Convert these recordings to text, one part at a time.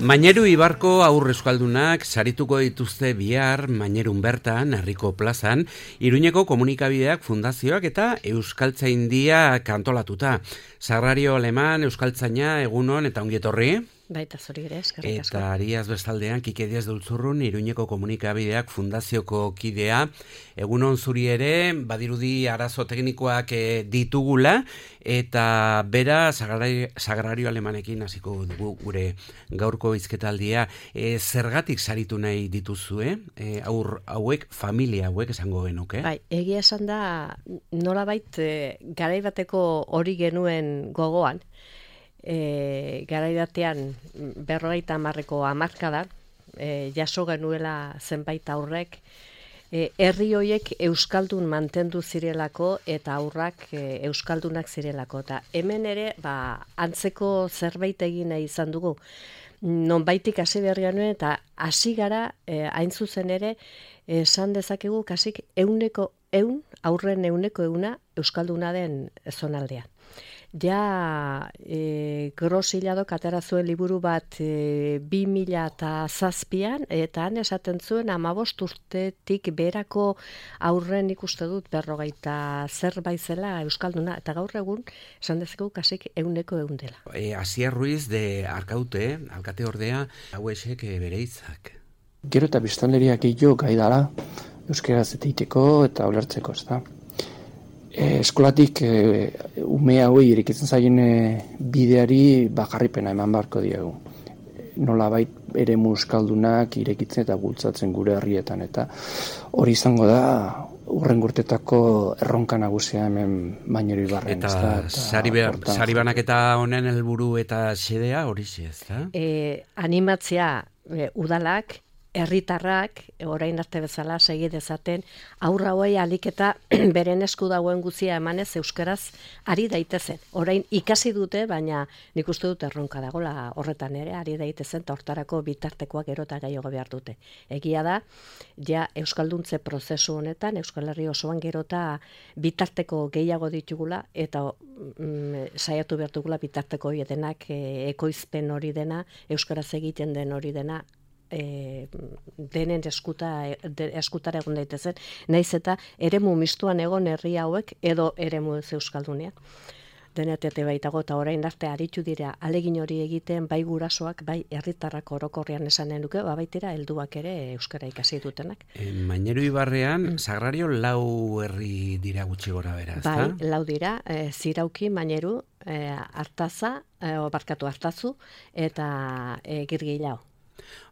Maineru Ibarko haur euskaldunak sarituko dituzte bihar Mainerun bertan, herriko plazan, Iruñeko komunikabideak fundazioak eta Euskaltzaindia kantolatuta. Sagrario Aleman, Euskaltzaina, egunon eta ongietorri. Baita zori ere, eskerrik asko. Eta Ariaz bestaldean, Kike Diaz de Ultzurrun, Iruñeko komunikabideak fundazioko kidea. Egunon zuri ere, badirudi arazo teknikoak ditugula, eta bera Sagrario Alemanekin hasiko dugu gure gaurko hizketaldia. Zergatik saritu nahi dituzue, hauek, familia hauek esango genuke? Bai, egia esan da, nolabait garaibateko hori genuen gogoan, garaibatean 50ko hamarkadan jaso genuela zenbait aurrek, herri hoiek euskaldun mantendu zirelako eta aurrak euskaldunak zirelako. Eta hemen ere, antzeko zerbait egin nahi izan dugu. Nonbaitik hasi berri genuen eta hasi gara hain zuzen ere esan dezakegu kasik 100% aurren 100% euskalduna den zonaldean. Ja, Grosilladok atera zuen liburu bat 2007an, eta han esaten zuen 15 urtetik berako aurren ikuste dut 50 zerbait zela euskalduna, eta gaur egun esan dezakegu kasik 100% dela. Asier Ruiz de Arkaute, alkate ordea, hauesek bere hitzak. Gero eta biztanleriak gehiago gai dara, euskaraz egiteko eta ulertzeko, ezta. Eskolatik ume hauei irekitzen zaien bideari jarripena eman beharko diegu. Nolabait eremu euskaldunak irekitzen eta bultzatzen gure herrietan, eta hori izango da hurrengo urtetako erronka nagusia hemen Maineru Ibarren. Eta sari banaketa honen helburu eta xedea horixe, ezta? Animatzea udalak, herritarrak, orain arte bezala segi dezaten, aurra hauei alik eta beren esku dagoen guzia emanez euskaraz ari daitezen. Orain ikasi dute, baina nik uste dut erronka dagoela horretan ere, ari daitezen, eta hortarako bitartekoak gero eta gehiago behar dute. Egia da, ja euskalduntze prozesu honetan, Euskal Herri osoan gero eta bitarteko gehiago ditugula, eta saiatu behar dugula bitarteko hori denak, ekoizpen hori dena, euskaraz egiten den hori dena, denen eskutara egon daitezen, naiz eta eremu mistuan egon herri hauek edo eremu euskaldunean. Denetete baitago eta orain arte aritu dira alegin hori egiten, bai gurasoak, bai herritarrak orokorrean esanen duke, baitira helduak ere euskara ikasi dutenak. Maineru Ibarrean, Sagrario 4 herri dira gutxi gora bera, ezta? Bai, 4 dira, Zirauki, Maineru, Artazu eta Girgilao.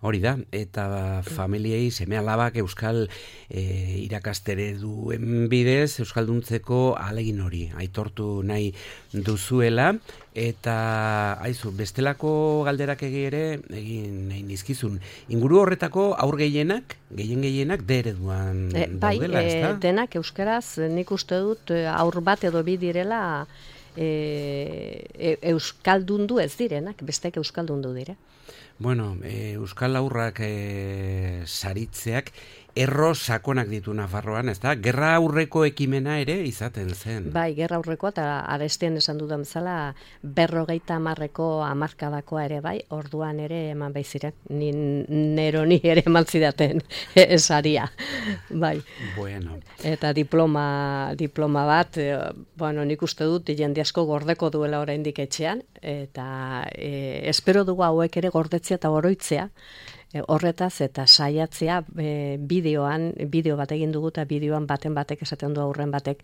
Hori da, eta familiei seme-alabak euskal irakastere duen bidez, euskalduntzeko ahalegin hori aitortu nahi duzuela, eta aizu, bestelako galderak egin nahi nizkizun. Inguru horretako aur gehienak ereduan daudela, ezta? Denak euskaraz, nik uste dut aur bat edo bi direla euskaldundu ez direnak, bestek euskaldundu dire. Bueno, euskal aurrak saritzeak erro sakonak ditu Nafarroan, ezta? Gerra aurreko ekimena ere izaten zen. Bai, gerra aurrekoa, eta arestian esan dudan bezala 50ko hamarkadakoa ere bai, orduan ere eman bai ziren, neroni ere eman zidaten esaria. Bai. Bueno. Eta diploma bat, nik uste dut jende asko gordeko duela oraindik etxean, eta espero dugu hauek ere gordetzea eta oroitzea, horretaz eta saiatzea bideo bat egin dugu eta bideoan batek esaten du aurren batek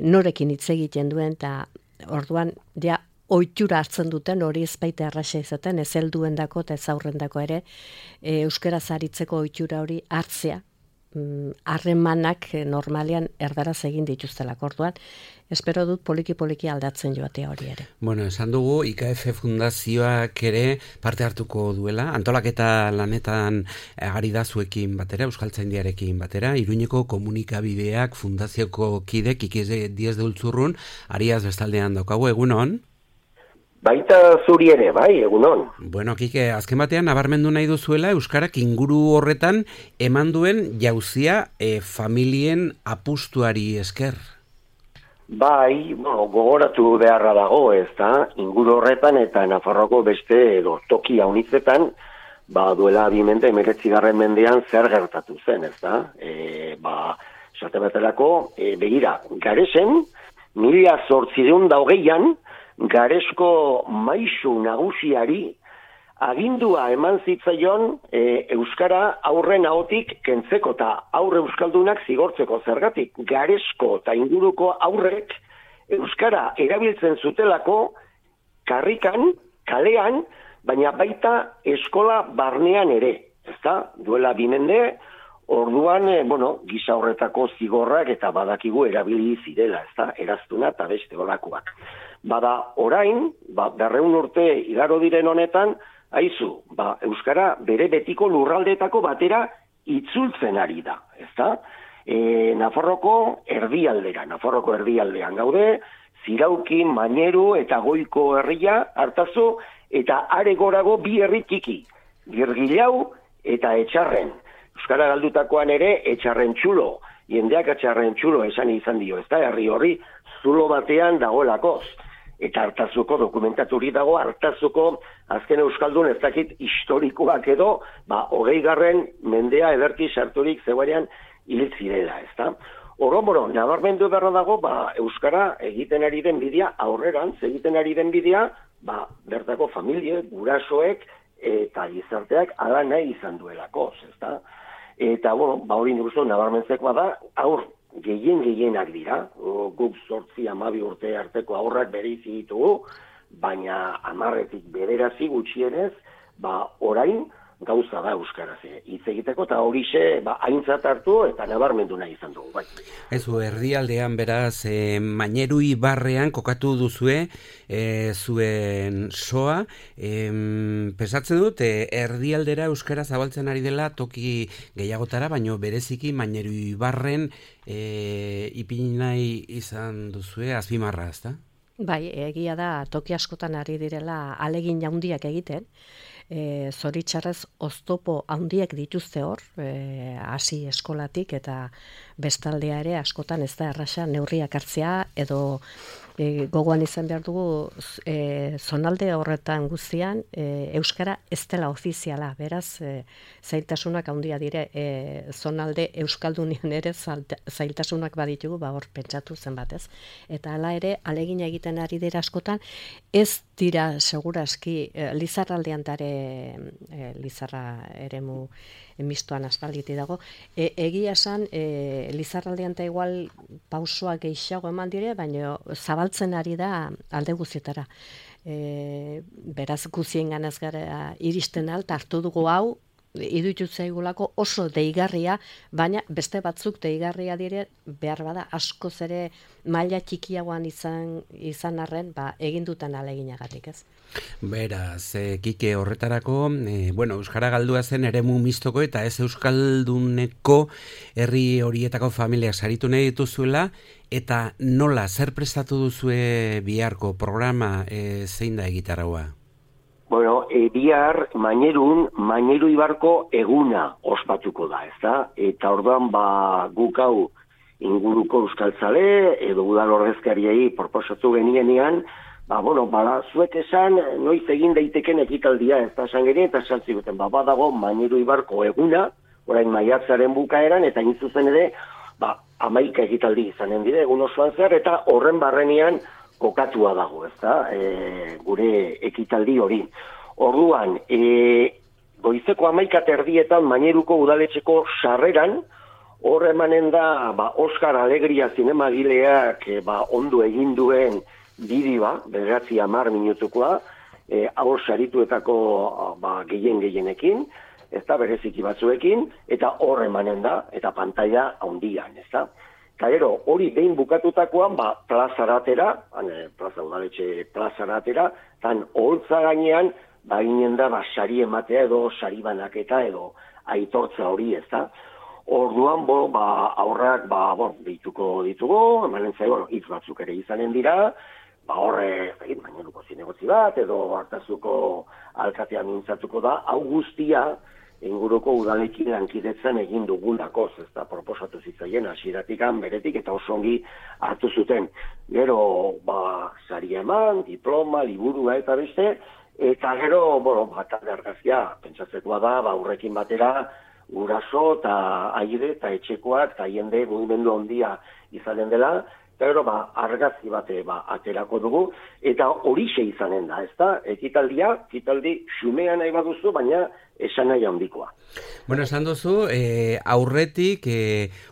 norekin hitz egiten duen, eta orduan ja ohitura hartzen duten hori ezbaita erraza izaten, ez helduendako eta ez aurrendako ere euskaraz aritzeko ohitura hori hartzea, harremanak normalean erdaraz egin dituztelako. Orduan espero dut poliki aldatzen joatea hori ere. Bueno, esan dugu IKF fundazioak ere parte hartuko duela, antolaketa lanetan ari da zuekin batera, Euskaltzaindiarekin batera, Iruñeko komunikabideak fundazioko kide Kike Diaz de Ultzurrun, Ariaz bestaldean daukagu, egunon? Baita zuri ere, bai, egunon. Bueno, Kike, azken batean nabarmendu nahi duzuela euskarak inguru horretan eman duen jauzia familien apustuari esker. Bai, gogoratu beharra dago, ez da, inguru horretan eta Nafarroako beste edo toki haunitzetan, duela 1919 mendean zer gertatu zen, ez da? Esate baterako, begira, Garesen, 1820an, Garesko maisu nagusiari agindua eman zitzaion euskara aurren ahotik kentzeko eta aurre euskaldunak zigortzeko zergatik. Garesko eta inguruko aurrek euskara erabiltzen zutelako karrikan, kalean, baina baita eskola barnean ere. Ezta? Duela 2 mende, orduan, gisa horretako zigorrak eta badakigu erabili zirela, ezta? Eraztuna eta beste olakoak. Bada orain, 200 urte igaro diren honetan, haizu, euskara bere betiko lurraldeetako batera itzultzen ari da, ezta? Nafarroko erdialdean gaude, Ziraukin, Maineru eta Goiko herria Artazu eta are gorago 2 herri txiki, Girgilau eta Etxarren. Euskara galdutakoan ere Etxarren txulo, jendeak Etxarren txulo esan izan dio, ezta? Herri horri zulo batean dagoelakoz. Eta Artazuko dokumentaturi dago, Artazuko azken euskaldun ez dakit historikoak edo, 20. mendea ederki sarturik zegoenean hil zirela, ezta? Oro-moro, nabarmendu beharra dago, euskara egiten ari den bidea, aurrerantz egiten ari den bidea, bertako familie, gurasoek eta gizarteak ala nahi izan duelako, ezta? Eta, hori nik uste nabarmentzekoa da, gehienak dira, guk 8-12 urte arteko aurrak bereizi ditugu, baina 10-tik 9 gutxienez, orain gauza da euskaraz hitz egiteko, eta horixe aintzat hartu eta nabarmendu nahi izan dugu. Bai. Ezu, erdialdean beraz, Maineru ibarrean kokatu duzue zuen soa, pesatzen dut, erdialdera euskara zabaltzen ari dela toki gehiagotara, baino bereziki Maineru ibarren ipini nahi izan duzue azpimarra, ezta? Bai, egia da toki askotan ari direla ahalegin handiak egiten, zoritxarrez oztopo handiak dituzte hor, hasi eskolatik eta bestaldea ere askotan ez da erraxa neurriak hartzea edo gogoan izan behar dugu zonalde horretan guztian euskara ez dela ofiziala, beraz zailtasunak handia dire zonalde euskaldunian ere zailtasunak baditugu, hor pentsatu zenbat ez. Eta hala ere, ahalegina egiten ari dira askotan, ez dira segurazki Lizarraldean tare Lizarra eremu mistoan aspalditi dago. Egia esan, Lizarraldean ta igual pausoak gehiago eman dire, baina zabaltzen ari da alde guztietara. Beraz guzien ganaz gara iristen alta hartu dugu hau, iruditu zaigulako oso deigarria, baina beste batzuk deigarria dire behar bada askoz ere maila txikiagoan izan arren, egin dutan ahaleginagatik, ez? Beraz, Kike horretarako, euskara galdua zen eremu mistoko eta ez euskalduneko herri horietako familiak saritu nahi dituzuela, eta nola, zer prestatu duzue biharko programa, zein da egitarraua? Bihar Maineru ibarko eguna ospatuko da, ezta? Eta orduan guk hau inguruko euskaltzale edo udal ordezkariei proposatu genienean, zuek esan noiz egin daiteken ekitaldia, ez da esan genien, eta esan ziguten, badago Maineru ibarko eguna, orain maiatzaren bukaeran, eta zuzen ere, 11 ekitaldi izanen dire, egun osoan zer, eta horren barrenean kokatua dago, ez da, gure ekitaldi hori. Orduan, goizeko 11:00 Maineruko udaletxeko sarreran, hor emanen da, Oskar Alegria zinemagileak ondo egin duen bideoa, 9-10 minutukoa, hor sarituetako gehienekin, ez da, bereziki batzuekin, eta hor emanen da, eta pantalla handian, ez da. Eta gero, hori behin bukatutakoan, plazaratera, plaza udaletxe plazaratera, tan holtza gainean, ginen da, sari ematea edo sari banaketa edo aitortza hori, ez da. Orduan, aurrak, dituko ditugu, emanen zaigo, hitz batzuk ere izanen dira, horre, Maineruko zinegotzi bat, edo Artazuko alkatea mintzatuko da, hau guztia, inguruko udalekin lankidetzen egin dugulako, ez da proposatu zitzaien hasieratikan beretik eta oso ongi hartu zuten. Gero, saria eman, diploma, liburua eta beste, eta gero, talde argazkia, pentsatzekoa da, aurrekin batera, uraso eta aire eta etxekoak eta jende mugimendu handia izanen dela, eta gero, argazki bate aterako dugu, eta horixe izanen da, ez da, ekitaldi xumea nahi baduzu, baina esan nahi handikoa. Bueno, esan duzu, aurretik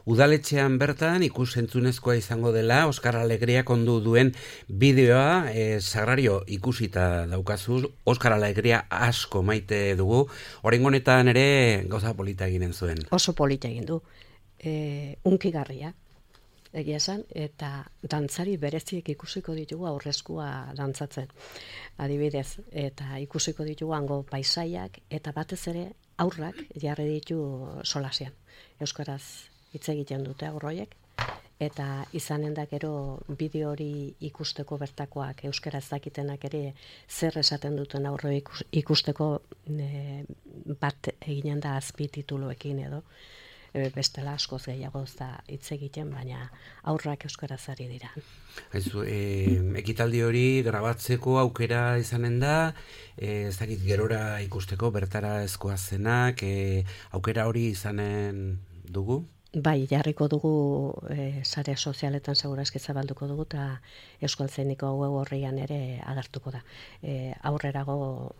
udaletxean bertan ikusentzunezkoa izango dela, Oskar Alegriak ondu duen bideoa, Sagrario ikusita daukazu, Oskar Alegria asko maite dugu, oraingo honetan ere gauza polita eginen zuen. Oso polita egin du, unkigarria. Egia esan, eta dantzari bereziek ikusiko ditugu aurreskua dantzatzen, adibidez, eta ikusiko ditugu hango paisaiak, eta batez ere aurrak jarri ditu solasean. Euskaraz hitz egiten dute aurroiek, eta izanen da gero bideo hori ikusteko bertakoak euskaraz dakitenak ere zer esaten duten aurro ikusteko bat eginen da azpitituluekin edo. Bestela askoz gehiago ez da hitz egiten, baina aurrak euskaraz ari dira. Ekitaldi hori grabatzeko aukera izanen da, ez dakit gerora ikusteko bertara ezkoa zenak, aukera hori izanen dugu? Bai, jarriko dugu sare sozialetan segurazki zabalduko dugu eta Euskaltzaindiko web orrian ere agertuko da. Aurrerago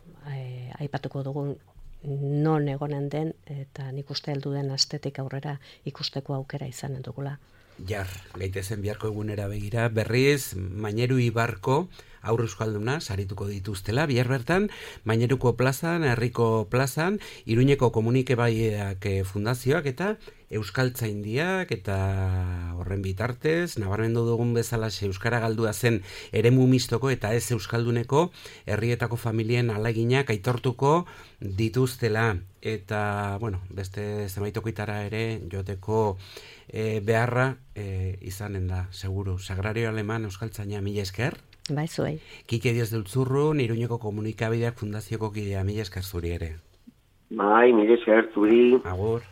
aipatuko dugun non egonen den, eta nik uste heldu den astetik aurrera ikusteko aukera izanen dugula. Jar, gaitezen biharko egunera begira, berriz, Maineru Ibarko aurre euskalduna sarituko dituztela, bihar bertan, Maineruko plazan, Herriko plazan, Iruñeko Komunikabaideak fundazioak eta Euskaltzaindiak eta horren bitartez, nabarmendu dugun bezalaxe euskara galdua zen eremu mistoko eta ez euskalduneko herrietako familien alaginak aitortuko dituztela. Eta, beste zenbaitokitara ere joteko beharra izanen da, seguru. Sagrario Aleman Euskaltzaina, mila esker. Bai, zuei. Kike Dios de Ultzurrun, Iruñeko Komunikabideak fundazioko kidea, mila esker zuri ere. Bai, mila esker zuri. Agur.